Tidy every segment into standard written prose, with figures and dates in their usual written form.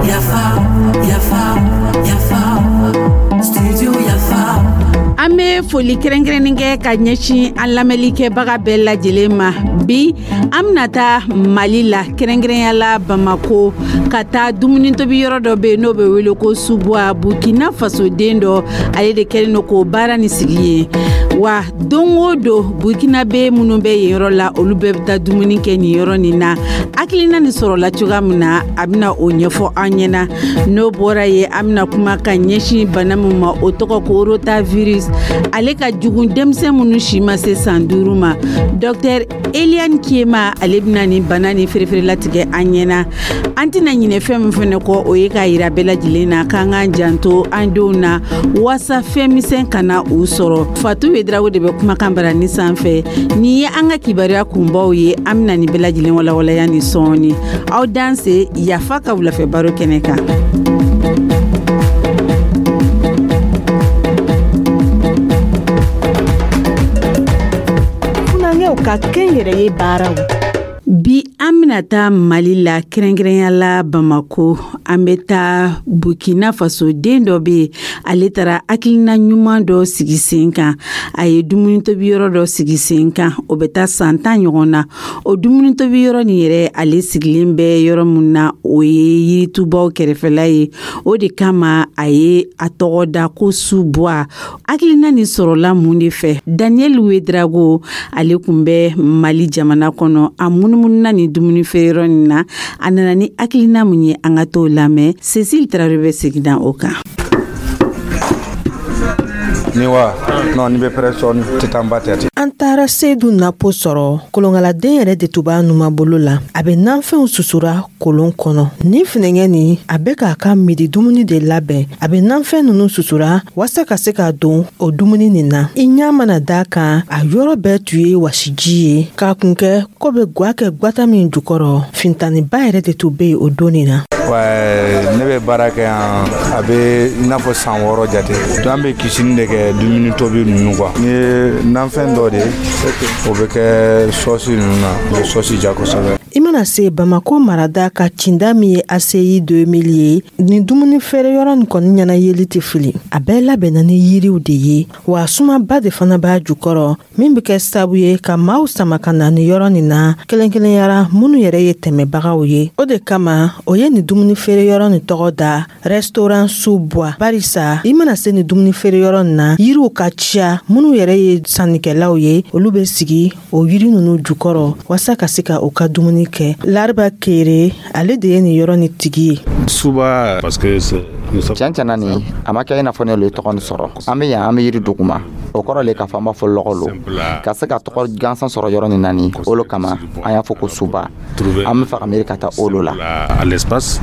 Yafa, yafa, yafa, studio Yafa. An bɛ foli kɛrɛnkɛrɛnnen kɛ ka ɲɛsin an lamɛnlikɛbaga bɛɛ lajɛlen ma. Bi, an bɛna taa Mali la, kɛrɛnkɛrɛnya la Bamako, ka taa dumuni tobi yɔrɔ dɔ bɛ yen, n'o bɛ wele ko Subuwa. Burkina Faso den dɔ, ale de kɛlen don k'o baara ni sigi ye. Wa don o don, Burkinabe minnu bɛ yen yɔrɔ la, olu bɛɛ bɛ taa dumuni kɛ nin yɔrɔ nin na. Hakilina nin sɔrɔla cogoya min na, a bɛna o ɲɛfɔ an ɲɛna. N'o bɔra yen, an bɛna kuma ka ɲɛsin bana min ma, o tɔgɔ ko rotavirus. Ale ka jugu denmisɛn minnu si ma se san 5 ma. Docteur Eliane Kiema, ale bɛna nin bana ni fereferelatigɛ an ɲɛna. An tɛna ɲinɛ fɛn min fɛnɛ kɔ, o ye k'a yira bɛɛ lajɛlen na k'an k'an janto an denw na, waasa fɛn misɛn kana u sɔrɔ. Fatu Wedrago de bɛ kumakan bara ni sanfɛ. Nin ye an ka kibaruya kunbaw ye. An bɛna nin bɛɛ lajɛlen walawalaya ni sɔɔni. Aw danse Yafa ka wulafɛ baro kɛnɛ kan. Funankɛw ka kɛnyɛrɛye baaraw. Bi, an bɛna taa Mali la, kɛrɛnkɛrɛnya la Bamako. An bɛ taa Burkina Faso, den dɔ bɛ yen, ale taara hakilina ɲuman dɔ sigi sen kan. A ye dumuni tobi yɔrɔ dɔ sigi sen kan, o bɛ taa san 10 ɲɔgɔn na. O dumuni tobi yɔrɔ nin yɛrɛ, ale sigilen bɛ yɔrɔ min na, o ye yiritubaw kɛrɛfɛla ye. O de kama a ye a tɔgɔ da ko Subuwa. Hakilina nin sɔrɔla mun de fɛ? Daniel Wedrago, ale tun bɛ Mali jamana kɔnɔ, a munumununa nin dumuni feere yɔrɔ nin na. A nana ni hakilina mun ye? An ka t'o lamɛn. Cécile Traoré bɛ segin na o kan. Ni wa non, ni bɛ pɛrɛ sɔɔni, tɛ taa n ba tɛ. An taara Seyidu Napo sɔrɔ. Kolonkaladen yɛrɛ de tun b'a numabolo la, a bɛ nanfɛnw susura kolon kɔnɔ. Nin finɛngɛ nin, a bɛ k'a ka midi dumuni de labɛn. A bɛ nanfɛn ninnu susura waasa ka se ka don o dumuni nin na. I ɲɛ mana d'a kan, a yɔrɔ bɛɛ tun ye wasiji ye, k'a kun kɛ ko bɛ gwa kɛ gwata min jukɔrɔ. Fintaniba yɛrɛ de tun bɛ yen o don nin na. Ne bɛ baara kɛ yan, a bɛ i n'a fɔ san 6 jate. Donc an bɛ cuisine de kɛ, dumuni tobi ninnu quoi. Ni ye nanfɛn dɔ de ye, o bɛ kɛ sɔsi ninnu na, o bɛ sɔsi ja kosɛbɛ. I mana se Bamako marada ka cinda min ye ACI 2000 ye, nin dumuni feere yɔrɔ nin kɔni ɲɛna yeli tɛ fili. A bɛɛ labɛnna ni yiriw de ye, wa sumaba de fana b'a jukɔrɔ, min bɛ kɛ sababu ye ka maaw sama ka na nin yɔrɔ nin na, kelen-kelenyara minnu yɛrɛ ye tɛmɛbagaw ye. O de kama o ye nin dumuni feere yɔrɔ nin tɔgɔ da restaurant Sous-Bois, barisa i mana se nin dumuni feere yɔrɔ nin na, yiriw ka ca. Minnu yɛrɛ ye sannikɛlaw ye, olu bɛ sigi o yiri ninnu jukɔrɔ waasa ka se ka u ka dumuni kɛ. Lariba Kere, ale de ye nin yɔrɔ ni tigi ye. Suba, parce que tiɲɛ tiɲɛna, nin a ma kɛ i n'a fɔ ne lo ye tɔgɔ nin sɔrɔ. An bɛ yan, an bɛ yiri duguma, o kɔrɔ le k'a fɔ an b'a fɔ lɔgɔ lo ka se ka tɔgɔ gansan sɔrɔ yɔrɔ nin na. Nin o lo kama an y'a fɔ ko Suba. An bɛ fɛ ka miiri ka taa o lo la. À l'espace.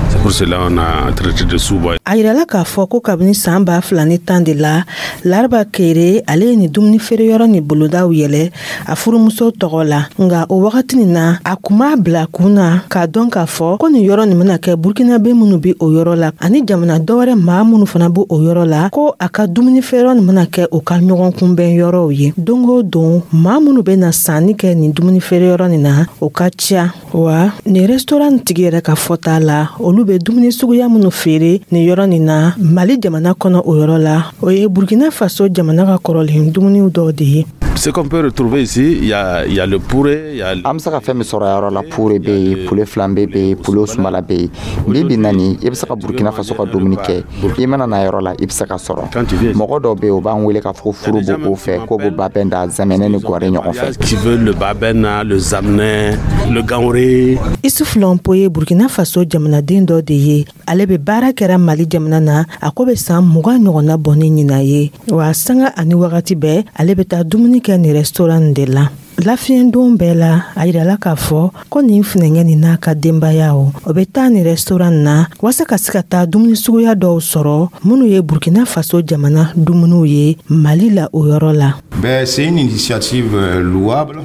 C'est pour cela on a traité de Souba. A yirala k'a fɔ ko kabini san 2010 de la, Lariba Kere, ale ye nin dumuni feere yɔrɔ ni bolodaw yɛlɛ a furumuso tɔgɔ la. Nka o wagati nin na, a kun m'a bila kun na k'a dɔn k'a fɔ ko nin yɔrɔ nin bɛna kɛ Burkinabe minnu bɛ o yɔrɔ la ani jamana dɔwɛrɛ maa minnu fana bɛ o yɔrɔ la, ko a ka dumuni feere yɔrɔ nin bɛna kɛ u ka ɲɔgɔn kunbɛn yɔrɔw ye. Don o don, maa minnu bɛ na sanni kɛ nin dumuni feere yɔrɔ nin na, o ka ca. Wa nin restaurant tigi yɛrɛ ka fɔta la, olu bɛ dumuni suguya minnu feere nin yɔrɔ nin na Mali jamana kɔnɔ, o yɔrɔ la, o ye Burkina Faso jamana ka kɔrɔlen dumuniw dɔw de ye. Ce qu'on peut retrouver ici, il y a le pourré, il y a An bɛ se ka fɛn min sɔrɔ yɔrɔ la, pure bɛ yen, poulet flambé bɛ yen, poulet sumala bɛ yen. Bi bi na nin, i bɛ se ka Burkina Faso ka dumuni kɛ. I mana na yɔrɔ la, i bɛ se ka sɔrɔ. Mɔgɔ dɔw bɛ yen, u b'an wele k'a fɔ ko furu b'o fɛ, k'o bɛ babɛnda, zɛmɛnɛ ni gɔrɛ ɲɔgɔn fɛ. Qui veut le babɛnda, le zamnɛ, le ganwré. Isuf Lɔnpo ye Burkina Faso jamanaden dɔ de ye. Ale bɛ baara kɛra Mali jamana na, a ko bɛ san 20 ɲɔgɔnna bɔ ni ɲinan ye. Wa sanga ani wagati bɛɛ, ale bɛ taa dumuni kɛ nin restaurant de la lafiyɛndon bɛɛ la. A yirala k'a fɔ ko nin funɛngɛ nin n'a ka denbaya, o bɛ taa nin restaurant na waasa ka se ka taa dumuni suguya dɔw sɔrɔ minnu ye Burkina Faso jamana dumuniw ye Mali la, o yɔrɔ la. Ben, c'est une initiative louable.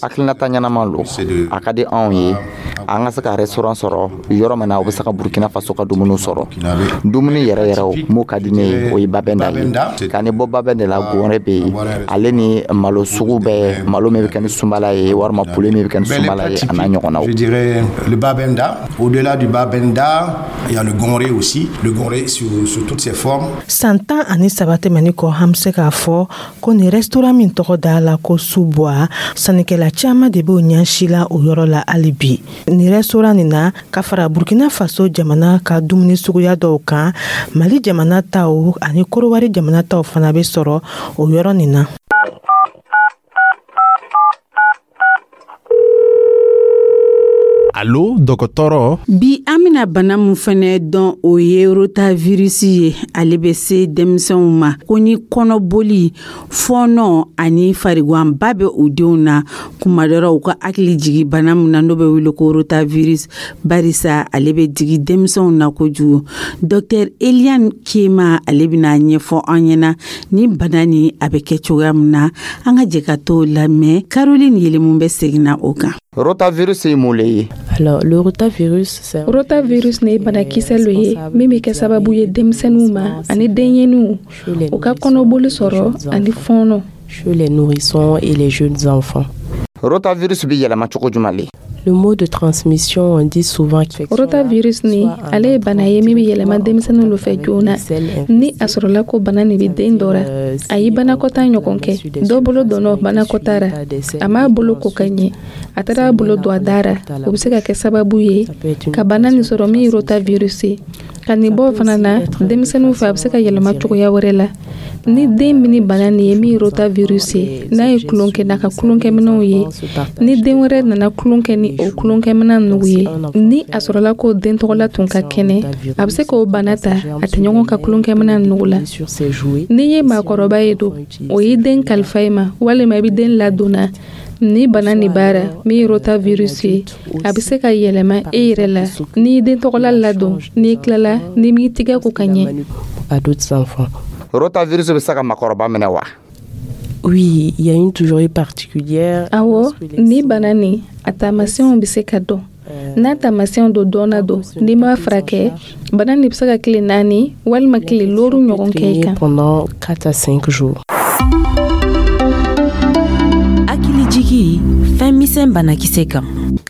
Hakilinata ɲɛnama lo. A ka di anw ye an ka se ka restaurant sɔrɔ yɔrɔ min na, u bɛ se ka Burkina Faso ka dumuni sɔrɔ. Dumuni yɛrɛ yɛrɛ mun ka di ne ye, o ye babɛnda ye. Ka ni bɔ babɛn de la, gɔnrɛ bɛ yen, ale ni malo sugu bɛɛ, malo min bɛ min bɛ kɛ ni sunbala ye, walima poulet min bɛ kɛ ni sunbala ye, a n'a ɲɔgɔnnaw. Je dirais le babenda. Au-delà du babenda, il y a le gonré aussi. Le gonré sous toutes ses formes. San 13 tɛmɛni kɔ, an bɛ se k'a fɔ ko nin restaurant min tɔgɔ da la ko Suboa, sannikɛla caman de b'o ɲɛsi la o yɔrɔ la hali bi. Nin restaurant nin na, ka fara Burkina Faso jamana ka dumuni suguya dɔw kan, Mali jamana taw ani Korowari jamana taw fana bɛ sɔrɔ o yɔrɔ nin na. Alo, dɔgɔtɔrɔ. Bi, an bɛna bana min fɛnɛ dɔn, o ye rotavirus ye. Ale bɛ se denmisɛnw ma ko ni kɔnɔboli, fɔɔnɔ ani farigwanba bɛ u denw na kuma dɔ la, u ka hakili jigi bana min na n'o bɛ wele ko rotavirus, barisa ale bɛ digi denmisɛnw na kojugu. Dr Eliane Kema, ale bɛna ɲɛfɔ an ɲɛna ni bana ni a bɛ kɛ cogoya min na. An ka jɛ ka t'o lamɛn. Caroline Yelemu bɛ segin na o kan. Rotavirus ye mun le ye? Alors, le rotavirus, c'est Rotavirus ne ye banakisɛ lo ye min bɛ kɛ sababu ye denmisɛnninw ma ani denɲɛninw, u ka kɔnɔboli sɔrɔ ani fɔɔnɔ. Chez les nourrissons et les jeunes enfants. Rotavirus bɛ yɛlɛma cogo jumɛn le? Le mode de transmission, on dit souvent Rotavirus ni, ale ye bana ye min bɛ yɛlɛma denmisɛnninw lo fɛ joona. Ni a sɔrɔla ko bana nin bɛ den dɔ ra, a ye banakɔta ɲɔgɔn kɛ, dɔ bolo donna banakɔta ra, a m'a bolo ko ka ɲɛ, a taara a bolo don a da ra, o bɛ se ka kɛ sababu ye ka bana nin sɔrɔ min ye rotavirus ye. Ka nin bɔ fana na, denmisɛnninw fɛ, a bɛ se ka yɛlɛma cogoya wɛrɛ la. Ni den min ni bana nin ye min ye rotavirus ye, n'a ye tulon kɛ n'a ka tulonkɛminɛnw ye, ni den wɛrɛ nana tulon kɛ ni o tulonkɛminɛn nugu ye, ni a sɔrɔla ko den tɔgɔla tun ka kɛnɛ, a bɛ se k'o bana ta a tɛ ɲɔgɔn ka tulonkɛminɛn nugu la. N'i ye maakɔrɔba ye don, o y'i den kalifa i ma, walima i bɛ den ladonna ni bana nin b'a ra min ye rotavirus ye, a bɛ se ka yɛlɛma e yɛrɛ la n'i den tɔgɔla ladon, n'i tilala, n'i m'i tigɛ ko ka ɲɛ. À d'autres enfants. Rotavirus bɛ se ka makɔrɔba minɛ wa? Oui, il y a une toujours particulière. Awɔ, ni bana nin, a taamasiyɛnw bɛ se ka dɔn. N'a taamasiyɛnw don dɔnna don, n'i m'a furakɛ, bana nin bɛ se ka tile 4 walima tile 5 ɲɔgɔn kɛ i kan. Pendant 4 à 5 jours. Hakilijigi fɛn misɛn banakisɛ kan.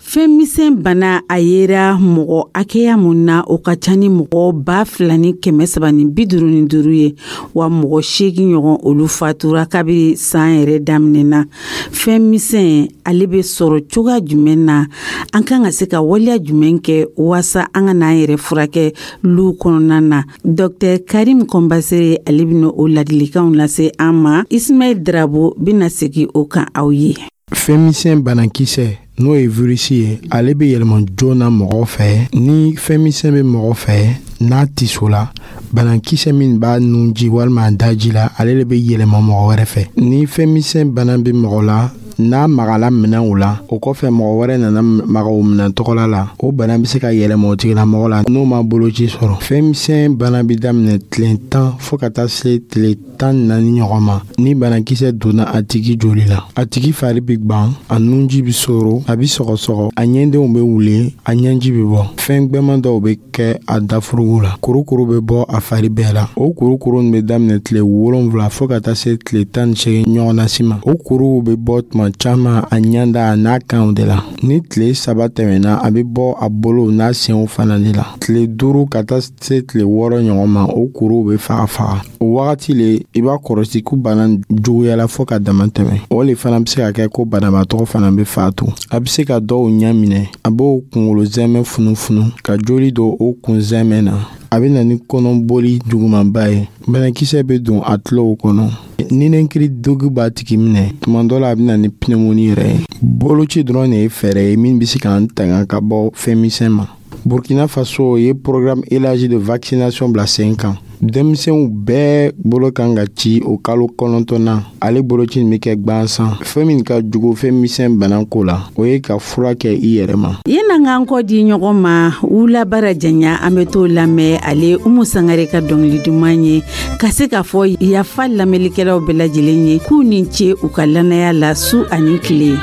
Fɛn misɛn bana, a yera mɔgɔ hakɛya mun na, o ka ca ni mɔgɔ 2355 ye, wa mɔgɔ 8 ɲɔgɔn, olu fatura kabiri san yɛrɛ daminɛna. Fɛn misɛn, ale bɛ sɔrɔ cogoya jumɛn na? An kan ka se ka waleya jumɛn kɛ waasa an ka n'an yɛrɛ furakɛ lu kɔnɔna na? Dr Karim Kɔnbasere, ale bɛna o ladilikanw lase an ma. Ismaɛl Drabo bɛna segin o kan aw ye. Fɛnmisɛn banakisɛ, n'o ye virisi ye, ale bɛ yɛlɛma joona mɔgɔ fɛ. Ni fɛnmisɛn bɛ mɔgɔ fɛ, n'a tiso la, banakisɛ min b'a nunji walima a daji la, ale de bɛ yɛlɛma mɔgɔ wɛrɛ fɛ. Ni fɛnmisɛn bana bɛ mɔgɔ la, n'a magala minɛnw la, o kɔfɛ mɔgɔ wɛrɛ nana maga o minɛn tɔgɔla la, o bana bɛ se ka yɛlɛma o tigilamɔgɔ la n'o ma boloci sɔrɔ. Fɛnmisɛn bana bɛ daminɛ tile 10 fo ka taa se tile 14 ɲɔgɔn ma. Ni banakisɛ donna a tigi joli la, a tigi fari bɛ gwan, a nunji bɛ soro, a bɛ sɔgɔsɔgɔ, a ɲɛdenw bɛ wuli, a ɲɛji bɛ bɔ, fɛn gwɛman dɔw bɛ kɛ a dafurugu la, kurukuru bɛ bɔ a fari bɛɛ la. O kurukuru nin bɛ daminɛ tile 7 fo ka taa se tile 18 ɲɔgɔnna si ma. O kuruw bɛ bɔ tuma caman a ɲɛda a n'a kanw de la. Ni tile 3 tɛmɛna, a bɛ bɔ a bolow n'a senw fana de la. Tile 5 ka taa se tile 6 ɲɔgɔn ma, o kuruw bɛ faga faga. O wagati le i b'a kɔrɔsi ko bana juguyala fo ka dama tɛmɛ. O le fana bɛ se ka kɛ ko banabaatɔ fana bɛ fatu. A bɛ se ka dɔw ɲɛ minɛ, a b'o kunkolo zɛmɛ funufunu ka joli don o kun zɛmɛ na. A bɛ na ni kɔnɔboli jugumanba ye. Banakisɛ bɛ don a tulow kɔnɔ, ninakili degun b'a tigi minɛ, tuma dɔ la a bɛ na ni pneumonie yɛrɛ ye. Boloci dɔrɔn de ye fɛɛrɛ ye min bɛ se k'an tanga ka bɔ fɛn misɛn ma. Burkina Faso ye programme élargi de vaccination bila sen kan. Denmisɛnw bɛɛ bolo kan ka ci o kalo 9na. Ale boloci nin bɛ kɛ gwansan. Fɛn min ka jugu fɛn misɛn bana ko la, o ye ka fura kɛ i yɛrɛ ma. Yenan k'an kɔ di ɲɔgɔn ma. Wulabara janya, an bɛ t'o lamɛn. Ale Umu Sangare ka dɔngili duman ye, ka se k'a fɔ yafa lamɛnlikɛlaw bɛɛ lajɛlen ye k'u ni ce u ka lannaya la su ani tile.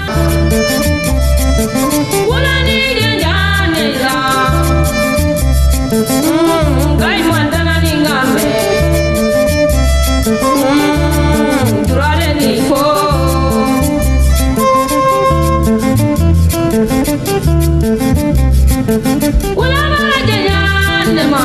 Wula mana janya ne ma.